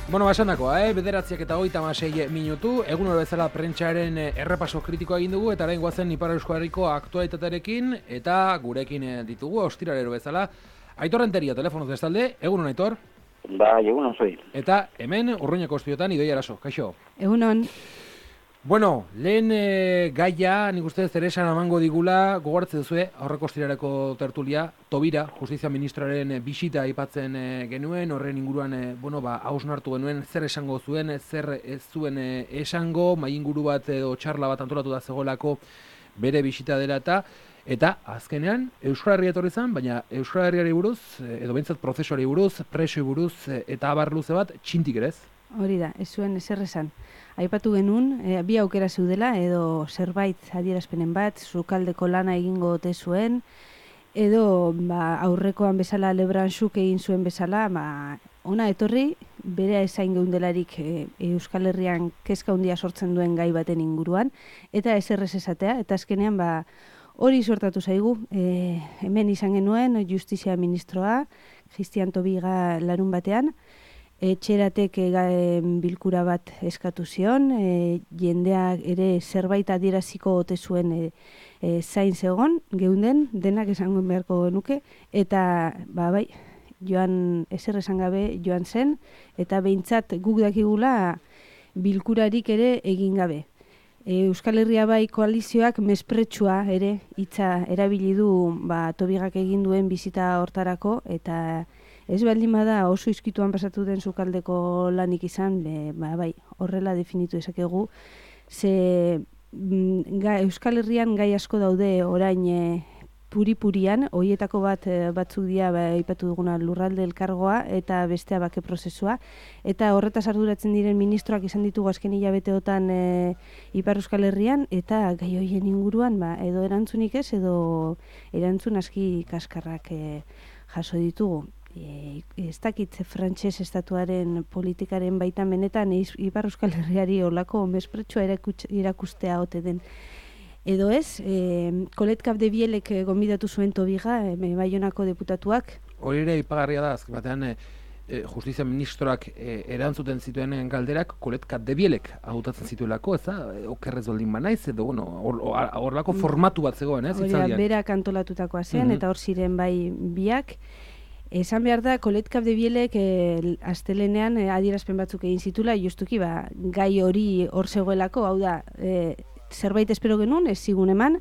Bueno, esandakoa, bederatziak eta 36 minutu, egun hori bezala prentxaren errepaso kritikoa egin dugu, eta orain goazen Ipar Euskal Herriko aktualitatearekin, eta gurekin ditugu, ostiralero bezala. Aitor Renteria, telefonoz bestalde, egunon Aitor? Bai, egunon zoi. Eta hemen, Urruñako estudiotan, Idoia Araso, kaixo? Egunon. Bueno, lehen gaia, nik uste zer esan amango digula, gogoratzen duzue, aurreko ostiraleko tertulia, Tobira, Justizia Ministroaren bisita aipatzen genuen, horren inguruan, hausnartu genuen, zer esango zuen, zer ez zuen esango, mai inguru bat edo txarla bat antolatu da zegoelako bere bisita dela eta azkenean Euskal Herria etorri zen, baina Euskal Herriari buruz, edo behintzat prozesuari buruz, presoei buruz eta abar luze bat, txintik ere ez? Hori da, ez zuen ezer esan. Aipatu genuen, bi aukera zeudela, edo zerbait adierazpenen bat, sukaldeko lana egingo ote zuen, edo aurrekoan bezala Lebranzuk egin zuen bezala, ona etorri, bere ezain geundelarik Euskal Herrian kezka handia sortzen duen gai baten inguruan, eta ezer ez esatea, eta azkenean hori sortatu zaigu, hemen izan genuen Justizia Ministroa, Christian Tobiga larun batean, etxeratek bilkura bat eskatu zion, jendeak ere zerbait adieraziko ote zuen zain zegon, geunden, denak esango beharko genuke, eta bai, joan ezer esan gabe joan zen, eta behintzat guk dakigula bilkurarik ere egin gabe. Euskal Herria bai koalizioak mespretsua ere hitza erabili du Tobigak egin duen bizita hortarako, eta ez baldin bada oso izkituan pasatu den sukaldeko lanik izan, bai, horrela definitu ezakegu, ze Euskal Herrian gai asko daude orain puri-purian, horietako batzuk dira aipatu duguna lurralde elkargoa eta bestea bake prozesua, eta horretaz arduratzen diren ministroak izan ditugu azken hilabeteotan Ipar Euskal Herrian, eta gai horien inguruan edo erantzunik ez, edo erantzun aski kaskarrak jaso ditugu. Ez dakit frantses estatuaren politikaren baitan benetan Ipar Euskal Herriari olako mespretsua erakustea ote den. Edo ez, Colet Capdevielek gonbidatu zuen Tobiga, Baionako deputatuak. Hori ere ipagarria da, azken batean Justizia Ministroak erantzuten zituen galderak Colet Capdevielek hautatzen zituelako, ez da? Okerrez baldin banaiz, edo horrelako formatu bat zegoen, ez? Hori da, berak antolatutakoa zen, eta hor ziren bai biak. Esan behar da, Colet Capdevielek astelenean adierazpen batzuk egin zitula, justuki gai hori hor zegoelako, hau da, zerbait espero genuen, ez zigun eman,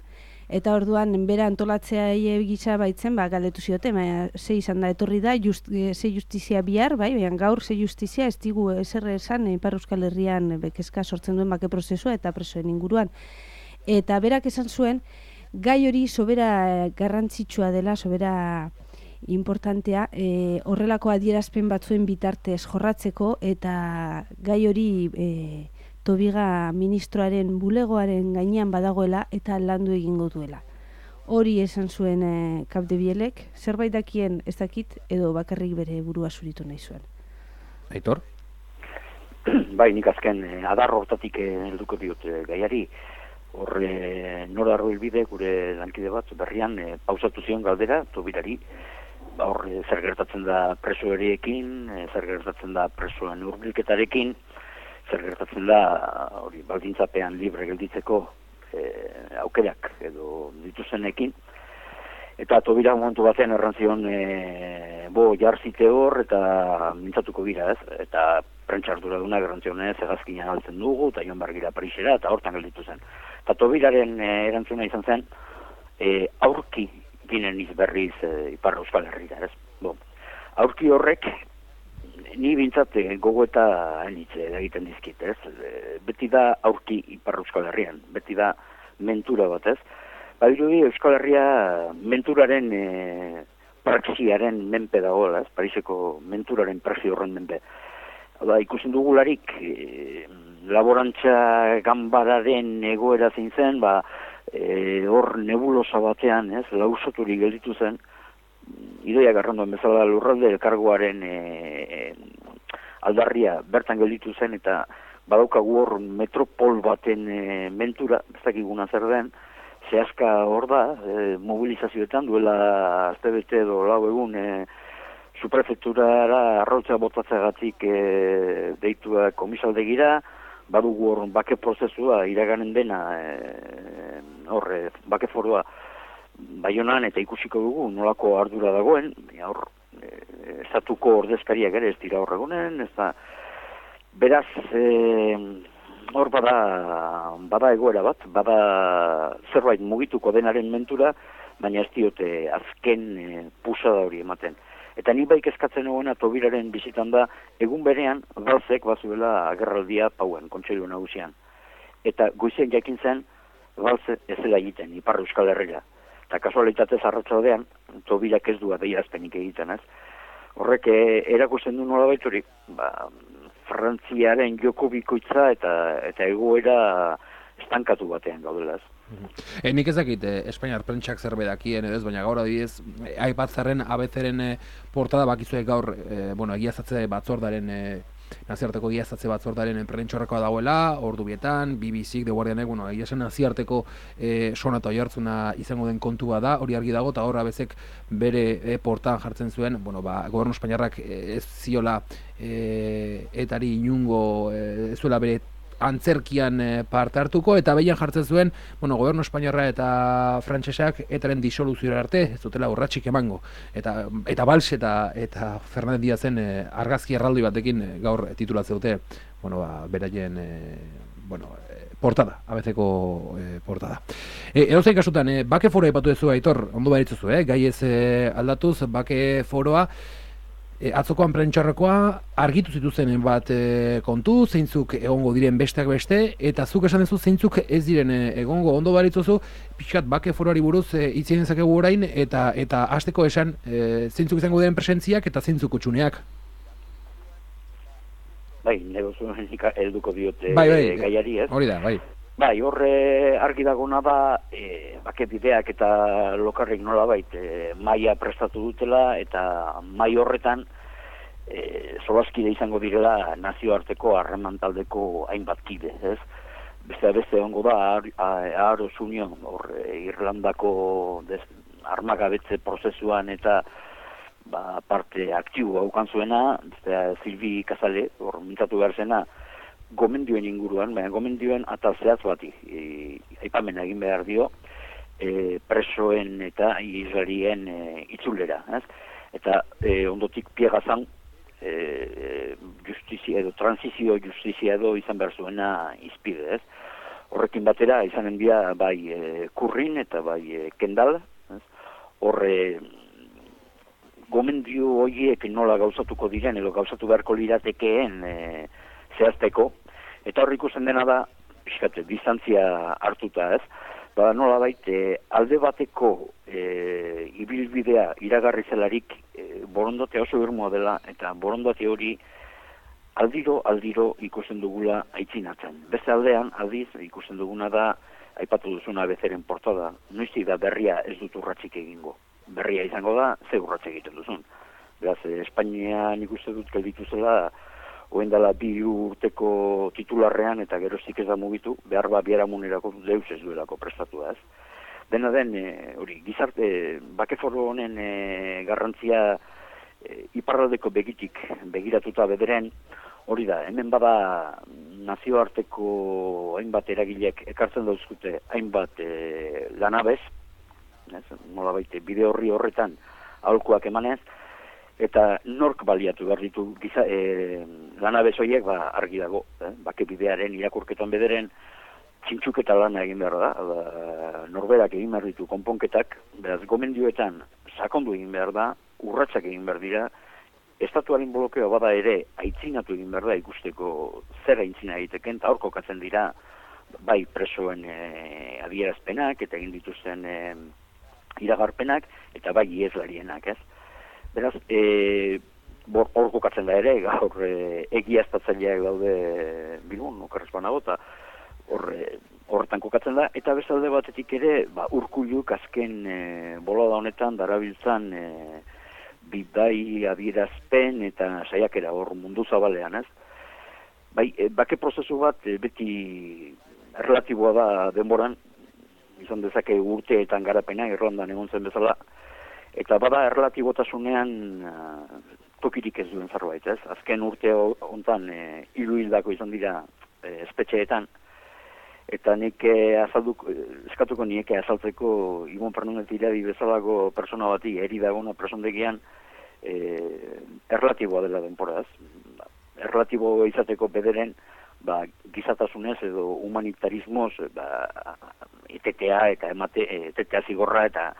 eta orduan bera antolatzea gisa baitzen, galdetu zioten, ze izan da, etorri da, ze justizia bihar, baina gaur ze justizia ez digu ezer esan Ipar Euskal Herrian kezka sortzen duen bake prozesua eta presoen inguruan. Eta berak esan zuen, gai hori sobera garrantzitsua dela, sobera importantea, horrelako adierazpen batzuen bitartez jorratzeko, eta gai hori Tobiga ministroaren bulegoaren gainean badagoela eta landu egingo duela. Hori esan zuen Capdevielek, zerbait dakien ez dakit, edo bakarrik bere burua zuritu nahi zuen. Aitor? Bai, nik azken adar hortatik helduko diot gaiari, Nora Arroilbide, gure lankide bat, berrian pausatu zion galdera Tobirari, zer gertatzen da presoeriekin, zer gertatzen da presoen hurbilketarekin, zer gertatzen da hori baldintzapean libre gelditzeko aukerak edo dituzenekin, eta Tobira momentu batean errantzion jarzite hor eta mintzatuko gira, ez? Eta prentxarduradunak errantzionez hegazkinan altzen dugu, eta joan bargira Parisera, eta hortan gelditu zen. Eta Tobiraren erantzuna izan zen, aurki ginen izberriz Ipar Euskal Herrira, ez? Aurki horrek, ni bintzat gogoeta egiten dizkit, ez? Beti da aurki Ipar Euskal Herrian, beti da mentura bat, ez? Badirudi Euskal Herria menturaren praxiaren menpe dagoela, ez? Pariseko menturaren praxi horren menpe. Ikusten dugularik, laborantza ganbararen egoera zein zen, hor nebulosa batean, ez? Lausoturik gelditu zen, Idoia Garrandoan bezala lurralde elkargoaren aldarria bertan gelditu zen, eta badaukagu hor metropol baten mentura, ez dakiguna zer den, zehazka hor da, mobilizazioetan duela astebete edo lau egun Suprefekturara arrautza botatzeagatik deitua komisaldegira, badugu hor bake prozesua iraganen dena bake forua Baionan eta ikusiko dugu nolako ardura dagoen, hor estatuko ordezkariak ere ez dira horregunen, ez da beraz hor bada egoera bat, bada zerbait mugituko denaren mentura, baina ez diote azken pusada hori ematen. Eta ni baik eskatzen egoena Tobiraren bizitan da, egun berean Balzek bazuela agerraldia Pauen, Kontseilu Nagusian. Eta goizen jakin zen, Balze ez dela egiten, Ipar Euskal Herria. Eta kasualitatez arratsaldean Tobirak ez du adierazpenik egiten, ez? Horrek erakusten du nolabait hori, Frantziaren joko bikoitza eta egoera estankatu batean gaudela, ez? Nik ez dakit Espainiar prentsak zerbait dakien edo ez, baina gaur adibidez aipatzarren ABC-ren portada bakizue gaur egiaztatze batzordaren nazioarteko egiaztatze batzordaren prentxorrekoa dagoela, ordu bietan, BBC-k, The Guardianek, egiasen nazioarteko sonata oihartzuna izango den kontua da, hori argi dago, eta hor ABC-k bere portaan jartzen zuen, gobernu espainiarrak ez ziola etari inungo, ez zuela bere antzerkian parte hartuko, eta behian jartzen zuen, gobernu espainiarra eta frantsesak etaren disoluziora arte, ez dutela urratsik emango. Eta Valls eta Fernández Díazen argazki erraldoi batekin gaur titulatze dute, beraien portada, ABC-ko portada. Edozein kasutan, bake foroa aipatu duzu, Aitor, ondo baritzuzu, gai ez aldatuz, bake foroa, atzokoan prentxarrekoa argitu zituzen bat kontu, zeintzuk egongo diren besteak beste, eta zuk esan duzu zeintzuk ez diren egongo, ondo baritzuzu, pixkat bake foroari buruz itzien dezakegu orain, eta hasteko esan zeintzuk izango diren presentziak eta zeintzuk utxuneak. Bai, negozu helduko diote gaiari, ez? Hori da, bai. Bai, horre argi dagona da, bake bideak eta lokarrik nolabait maila prestatu dutela, eta mai horretan solaskide izango direla nazioarteko harreman taldeko hainbat kide, ez? Beste ongo da, Aros Union, Irlandako armagabetze prozesuan eta parte aktibo haukan zuena, Silvi Casale, hor mintzatu behar zena, gomendioen inguruan, baina gomendioen atal zehatz bati aipamena egin behar dio presoen eta Israelien itzulera, ez? Eta ondotik piegazan justizia edo transizio justizia edo izan behar zuena izpide, ez? Horrekin batera izanen dira bai Kurrin eta bai Kendal, ez? Horre gomendio horiek nola gauzatuko diren edo gauzatu beharko liratekeen zehazteko, eta hor ikusten dena da, pixkate, distantzia hartuta, ez? Nola alde bateko ibilbidea iragarri zelarik borondatea oso irmoa dela, eta borondate hori aldiro ikusten dugula aitzinatzen. Beste aldean, aldiz, ikusten duguna da, aipatu duzuna bezeren portada, noizti da berria ez dut urratsik egingo. Berria izango da, ze urratsak egiten duzun. Beraz, Espainian ikusten dut gelditu zela, oen dela 2 urteko titularrean eta geroztik ez da mugitu, behar biharamunerako deus ez duelako prestatu da, ez. Dena den, hori, gizarte, bakeforo honen garrantzia iparraldeko begitik begiratuta bederen, hori da, hemen bada nazioarteko hainbat eragilek ekartzen dauzkute hainbat lanabez, nolabait bide horretan aholkuak emanez, eta nork baliatu behar ditu lanabez horiek argi dago, bake bidearen irakurketan bederen txintxuketa lana egin behar da, norberak egin behar ditu konponketak, beraz gomendioetan sakondu egin behar da, urratsak egin behar dira, estatuaren blokeoa bada ere aitzinatu egin behar da ikusteko zer aitzina egiteken, eta hor kokatzen dira bai presoen adierazpenak eta egin dituzten iragarpenak, eta bai ieslarienak, ez? Beraz, hor kokatzen da ere, gaur egiaztatzaileak daude Bilbon, okerrez banago, eta horretan kokatzen da, eta bestalde batetik ere, Urkulluk azken bolada honetan darabiltzan bidai adierazpen eta saiakera hor mundu zabalean, ez? Bai, bake prozesu bat beti relatiboa da denboran, izan dezake urteetan garapena, Irlandan egon zen bezala, Eta bada erlatibotasunean tokirik ez duen zerbait, ez? Azken urte hontan 3 hildako izan dira espetxeetan, eta nik eskatuko nieke azaltzeko Ibon Fernández Iradi bezalako persona bati eri dagona presondegian erlatiboa dela denporaz. Erlatibo izateko bederen gizatasunez edo humanitarismoz etetea eta etetea zigorra eta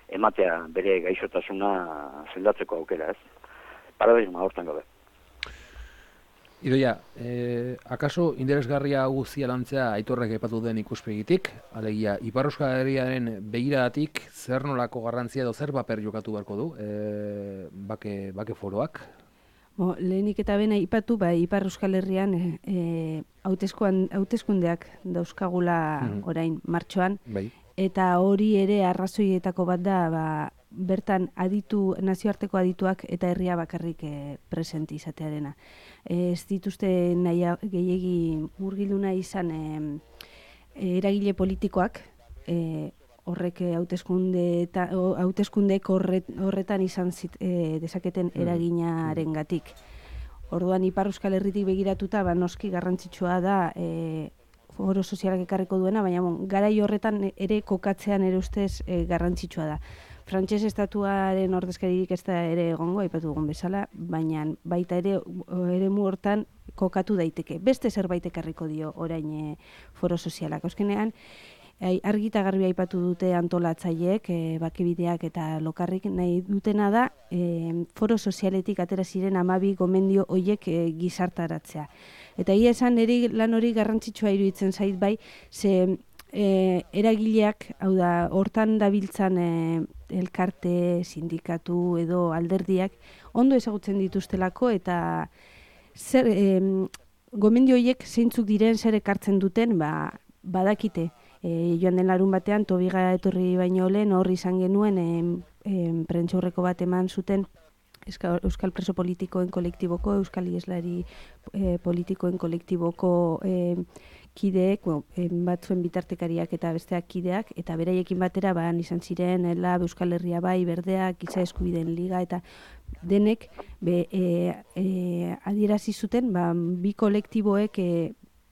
ematea bere gaixotasuna zeldatzeko aukera, ez? Paradigma hortan gabe. Idoia, akaso interesgarria guztia lantzea Aitorrek aipatu den ikuspegitik, alegia, Ipar Euskal Herriaren begiradatik zer nolako garrantzia edo zer paper jokatu beharko du bake foroak? Lehenik eta bena aipatu, Ipar Euskal Herrian hauteskundeak dauzkagula orain martxoan, eta hori ere arrazoietako bat da, bertan nazioarteko adituak eta herria bakarrik presenti izatearena. Ez dituzte gehiegi murgildu nahi izan eragile politikoak, horrek hauteskundeek horretan izan dezaketen eraginarengatik. Orduan Ipar Euskal Herritik begiratuta noski garrantzitsua da foro sozialak ekarriko duena, baina garai horretan ere kokatzean ere ustez garrantzitsua da. Frantses estatuaren ordezkaririk ez da ere egongo, aipatu dugun bezala, baina baita ere eremu hortan kokatu daiteke. Beste zerbait ekarriko dio orain foro sozialak. Azkenean, argita garbi aipatu dute antolatzaileek, bakebideak eta lokarrik nahi dutena da, foro sozialetik atera ziren 12 gomendio hoiek gizartaratzea. Eta ia esan lan hori garrantzitsua iruditzen zait bai, ze eragileak, hau da, hortan dabiltzan elkarte, sindikatu edo alderdiak, ondo ezagutzen dituztelako eta gomendio horiek zeintzuk diren zer ekartzen duten, badakite. Joan den larun batean, Tobiga etorri baino lehen hor izan genuen prentsaurreko bat eman zuten Euskal Preso Politikoen Kolektiboko, Euskal Ieslari Politikoen Kolektiboko kideek, batzuen bitartekariak eta besteak kideak, eta beraiekin batera izan ziren Lab, Euskal Herria Bai, Berdeak, Giza Eskubideen Liga, eta denek adierazi zuten bi kolektiboek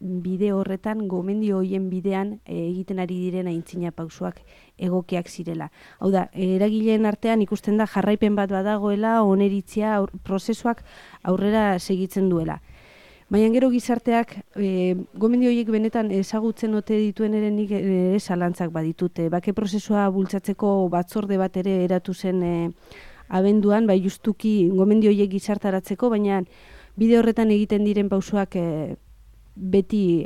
bide horretan, gomendio hoien bidean egiten ari diren aintzina pausoak egokiak zirela. Hau da, eragileen artean ikusten da jarraipen bat badagoela, oneritzia, prozesuak aurrera segitzen duela. Baina gero gizarteak, gomendio horiek benetan ezagutzen ote dituen ere nik zalantzak baditute. Bake prozesua bultzatzeko batzorde bat ere eratu zen abenduan, justuki gomendio horiek gizartaratzeko, baina bide horretan egiten diren pausoak beti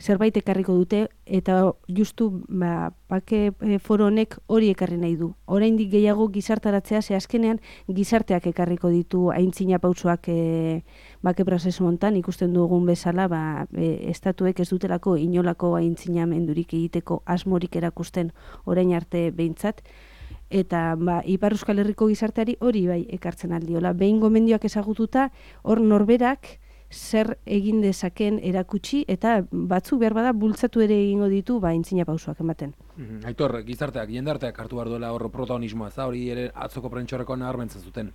zerbait ekarriko dute, eta justu bake foro honek hori ekarri nahi du. Oraindik gehiago gizartaratzea, ze azkenean gizarteak ekarriko ditu aintzina pausoak bake prozesu hontan, ikusten dugun bezala, estatuek ez dutelako inolako aintzinamendurik egiteko asmorik erakusten orain arte behintzat, eta Ipar Euskal Herriko gizarteari hori bai ekartzen aldiola. Behin gomendioak ezagututa, hor norberak zer egin dezaken erakutsi, eta batzuk behar bada bultzatu ere egingo ditu aintzina pausoak ematen. Aitor, gizarteak, jendarteak hartu behar duela hor protagonismoa, ez da hori ere atzoko prentxorreko nabarmentzen zuten?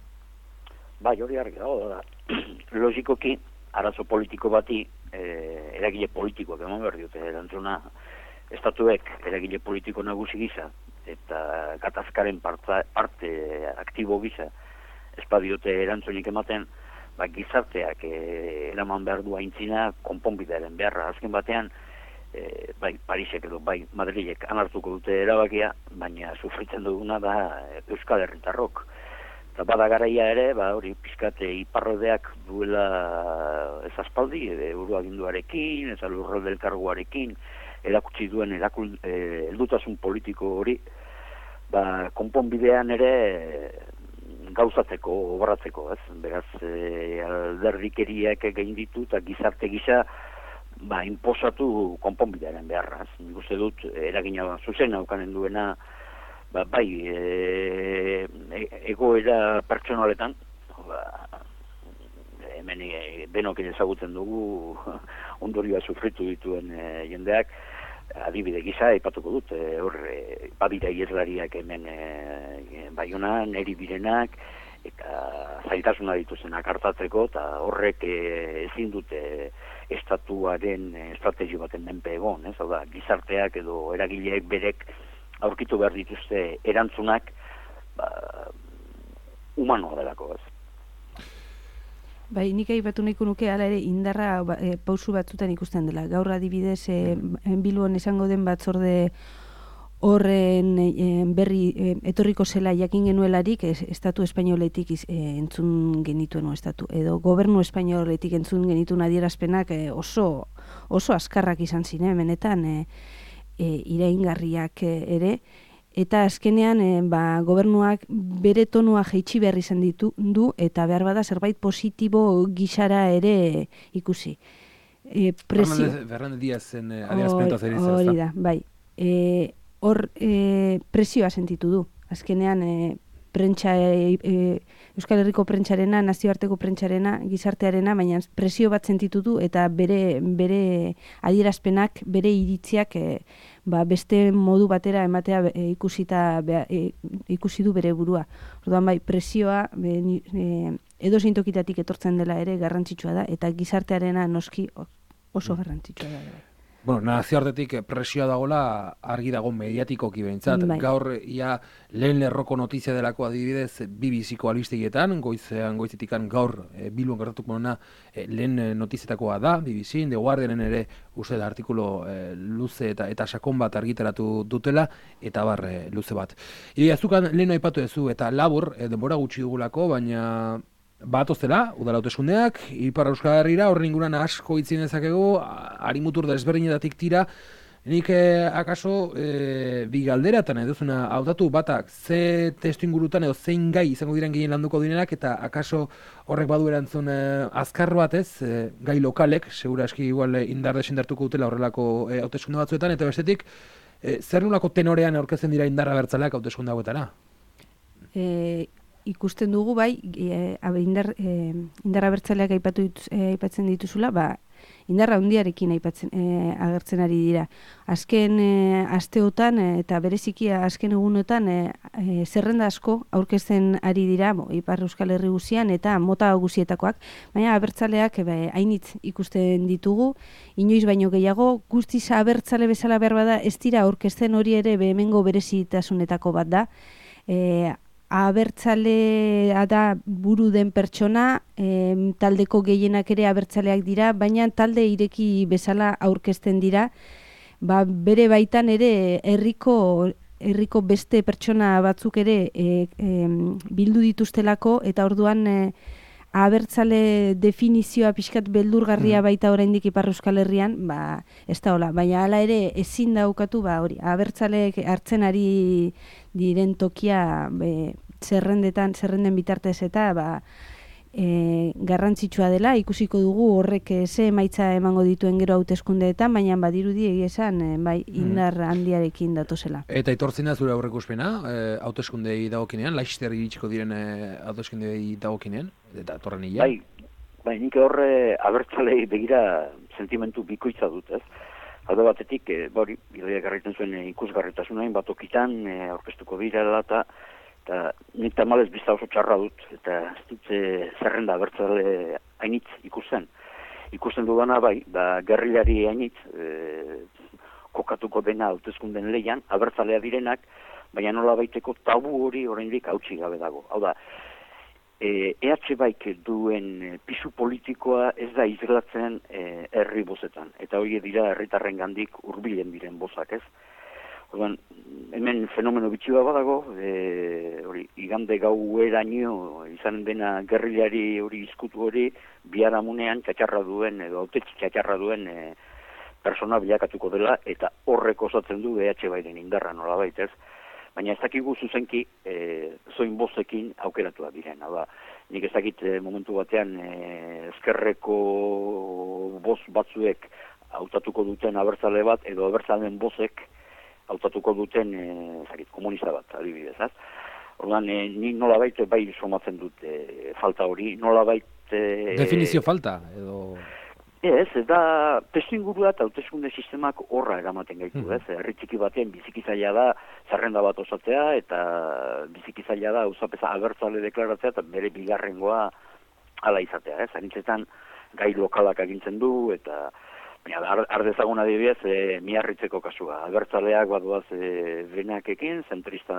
Hori argi dago da. Logikoki, arazo politiko bati eragile politikoak eman behar diote erantzuna. Estatuek eragile politiko nagusi gisa eta gatazkaren parte aktibo gisa espadiote erantzunik ematen, gizarteak eraman behar du aintzina konponbidearen beharra. Azken batean, Parisek edo Madrilek anartuko dute erabakia, baina sufritzen duguna da Euskal Herritarrok. Eta bada garaia ere, hori pizkate iparrodeak duela ez aspaldi, euroaginduarekin, ez lurralde elkargoarekin, erakutsi duen heldutasun politiko hori, konponbidean ere gauzatzeko, obratzeko, ez? Beraz, alderdikeriak egin ditu eta gizarte gisa inposatu konponbidearen beharra. Nik uste dut, eragina zuzena aukanen duena, egoera pertsonaletan, hemen denok ezagutzen dugu ondorioa sufritu dituen jendeak, adibide gisa aipatuko dut, badira ieslariak hemen Baionan, eri direnak, eta zailtasuna dituzenak hartatzeko, eta horrek ezin dute estatuaren estrategi baten menpe egon, hau da, gizarteak edo eragileek berek aurkitu behar dituzte erantzunak humanoa delako, ez. Bai, nik aipatu nahiko nuke hala ere indarra pausu batzutan ikusten dela. Gaur adibidez, Bilbon esango den batzorde horren berri etorriko zela jakin genuelarik estatu espainoletik entzun genituen edo gobernu espainoletik entzun genituen adierazpenak oso azkarrak izan ziren, benetan iraingarriak ere. Eta azkenean gobernuak bere tonua jaitsi behar izan du eta behar bada zerbait positibo gisara ere ikusi. Fernández Díazen adierazpenta zer izan. Hori da, bai. Hor presioa sentitu du. Azkenean Euskal Herriko prentsarena, nazioarteko prentsarena, gizartearena, baina presio bat sentitu du eta bere adierazpenak, bere iritziak beste modu batera ematea ikusi du bere burua. Orduan bai, presioa edozein tokitatik etortzen dela ere garrantzitsua da eta gizartearena noski oso garrantzitsua da. Bueno, nazioartetik presioa dagoela argi dago mediatikoki behintzat. Bai. Gaur lehen lerroko notizia delako adibidez BBC-ko albistegietan, goizetikan gaur Bilbon gertatuko dena lehen notizietakoa da, BBC, The Guardianen ere uste da artikulu luze eta sakon bat argitaratu dutela, eta luze bat. Azukan lehen aipatu duzu eta labur, denbora gutxi dugulako, baina batozela, udala hauteskundeak, Ipar Euskal Herrira, horren inguruan asko itzien dezakegu, harimutur desberdinetatik tira, nik akaso bi galderatan eduzuna hautatu batak ze testu ingurutan edo zein gai izango diren gehien landuko direnak, eta akaso horrek badu erantzun azkar bat ez, gai lokalek, segura eski igual indar desendartuko dutela horrelako hauteskunde batzuetan, eta bestetik, zer nolako tenorean aurkezten dira indarra bertzaleak hauteskunde hauetara? Ikusten dugu bai, indarra bertzaleak aipatzen dituzula, indarra handiarekin agertzen ari dira. Azken asteotan eta bereziki azken egunotan zerrenda asko aurkezten ari dira Ipar Euskal Herri guzian eta mota guzietakoak, baina abertzaleak hainitz ikusten ditugu, inoiz baino gehiago, guztiz abertzale bezala behar bada ez dira aurkezten, hori ere hemengo berezitasunetako bat da. Abertzalea da buru den pertsona, taldeko gehienak ere abertzaleak dira, baina talde ireki bezala aurkezten dira, bere baitan ere herriko beste pertsona batzuk ere bildu dituztelako, eta orduan abertzale definizioa pixkat beldurgarria baita oraindik Ipar Euskal Herrian, ez da hola, baina hala ere ezin daukatu hori, abertzaleek hartzen ari diren tokia zerrenden bitartez eta garrantzitsua dela, ikusiko dugu horrek ze emaitza emango dituen gero hauteskundeetan, baina badirudi egia esan indar handiarekin datozela. Eta itortzena zure aurreikuspena, hauteskundei dagokinean, Laster iritsiko diren hauteskundei dagokinean, eta torren hila? Bai, nik horre abertzalei begira sentimentu bikoitza dut, ez? Alde batetik, Idoia garriten zuen ikusgarritasunain bat okitan, aurkeztuko birela eta nik tamalez bizta oso txarra dut, eta ez dut zerrenda abertzale hainitz ikusten. Ikusten dudana gerrilari hainitz kokatuko dena hauteskunden leian, abertzalea direnak, baina nola baiteko tabu hori oraindik hautsi gabe dago. Hau da, EH Baik duen pisu politikoa ez da islatzen herri bozetan, eta hori dira herritarren gandik hurbilen diren bozak, ez? Orduan, hemen fenomeno bitxua badago, igande gaueraino izan dena gerrilari hori izkutu hori, biharamunean txatxarra duen, edo autetxi txatxarra duen persona bilakatuko dela, eta horrek osatzen du EH Bairen indarra nolabait, ez? Baina ez dakigu zuzenki zoin bozekin aukeratuak diren. Nik ez dakit momentu batean ezkerreko boz batzuek hautatuko duten abertzale bat, edo abertzaleen bozek hautatuko duten komunista bat, adibidez. Orduan, ni nolabait bai somatzen dut falta hori, nolabait... Definizio falta, edo... Ez, eta testuingurua eta hauteskunde sistemak horra eramaten gaitu, ez? Herri txiki baten biziki zaila da zerrenda bat osatzea eta biziki zaila da auzapeza abertzale deklaratzea eta bere bigarrengoa hala izatea, ez? Anitzetan gai lokalak agintzen du eta ardezagun adibidez Miarritzeko kasua. Abertzaleak baduaz benakekin, zentrista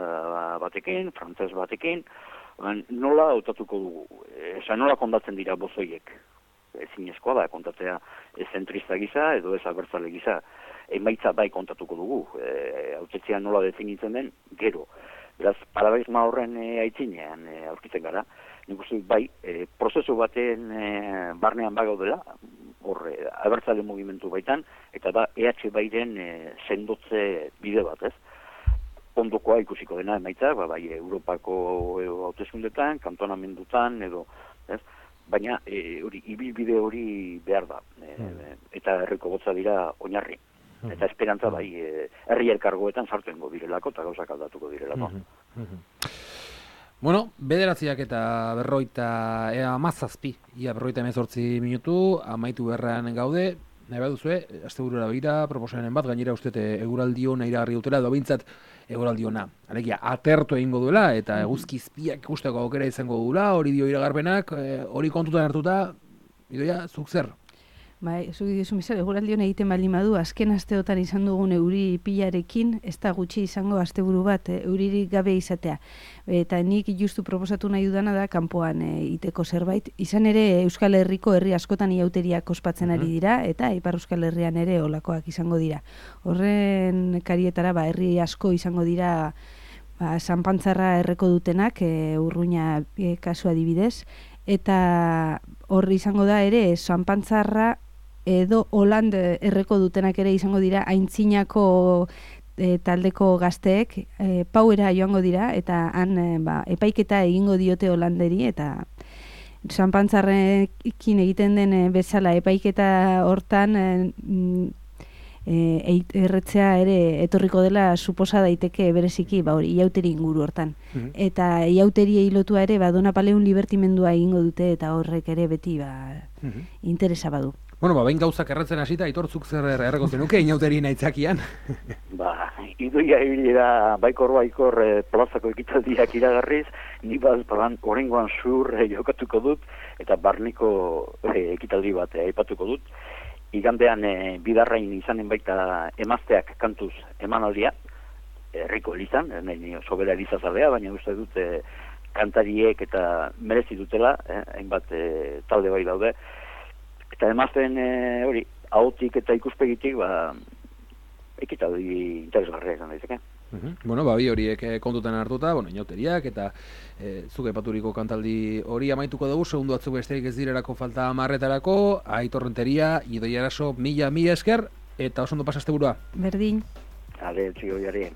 batekin, frantses batekin, nola hautatuko dugu? Nola kondatzen dira bozoiek? Ezinezkoa da kontatzea zentrista gisa edo ez abertzale gisa. Emaitza bai kontatuko dugu. Hautetzea nola definitzen den, gero. Beraz, paradigma horren aitzinean aurkitzen gara. Nik uste bai, prozesu baten barnean bagaudela, hor abertzale mugimendu baitan, eta da EH bairen sendotze bide bat, ez? Ondokoa ikusiko dena emaitza, bai Europako hauteskundetan, kantonamendutan edo, ez? Baina ibilbide hori behar da, eta herriko gotza dira oinarri. Eta esperantza bai, herri elkargoetan sartuengo direlako eta gauzak aldatuko direlako. Bueno, 9 eta 17, ia 58 minutu, amaitu berran gaude, nahi baduzue, asteburura begira, proposamen bat, gainera uste eguraldi ona iragarri dutela, edo bintzat eguraldi ona. Alegia, atertu egingo duela, eta eguzkizpiak ikusteko aukera izango duela, hori dio iragarpenak, hori kontutan hartuta, Idoia, zuk zer? Bai, zuk dizu misal, eguraldi hona egiten baldin badu, azken asteotan izan dugun euri pilarekin, ez da gutxi izango asteburu bat, euririk gabe izatea. Eta nik justu proposatu nahi dudana da, kanpoan iteko zerbait. Izan ere, Euskal Herriko herri askotan iauteriak ospatzen ari dira, eta Ipar Euskal Herrian ere olakoak izango dira. Horren karietara, herri asko izango dira, Sanpantzarra erreko dutenak, Urruña kasu adibidez, eta horri izango da ere, Sanpantzarra edo Holand erreko dutenak ere izango dira aintzinako taldeko gazteek pauera joango dira eta han epaiketa egingo diote Holanderi eta Sanpantzarrekin egiten den bezala epaiketa hortan erretzea ere etorriko dela suposa daiteke bereziki hori iauteri inguru hortan. Eta iauteriei lotua ere Donapaleun libertimendua egingo dute eta horrek ere beti interesa badu. Bueno, behin gauzak erretzen hasita, Aitor, zuk zer erreko zenuke inauteri naitzakian? Idoia ibilera baikor plazako ekitaldiak iragarriz, ni orengoan zur jokatuko dut, eta barniko ekitaldi bat aipatuko dut. Igandean bidarrain izanen baita emazteak kantuz emanaldia, herriko elizan, sobera elizazalea, baina uste dut kantariek eta merezi dutela, hainbat talde bai daude, eta emazten hori, ahotik eta ikuspegitik, ekitaldi interesgarria izan daiteke. Bueno, bi horiek kontutan hartuta, inauteriak eta zuk aipaturiko kantaldi hori amaituko dugu, segundu batzuk besterik ez direlako falta 10etarako, Aitor Renteria, Idoia Araso, mila esker, eta oso ondo pasa asteburua. Berdin. Ale, txio jari.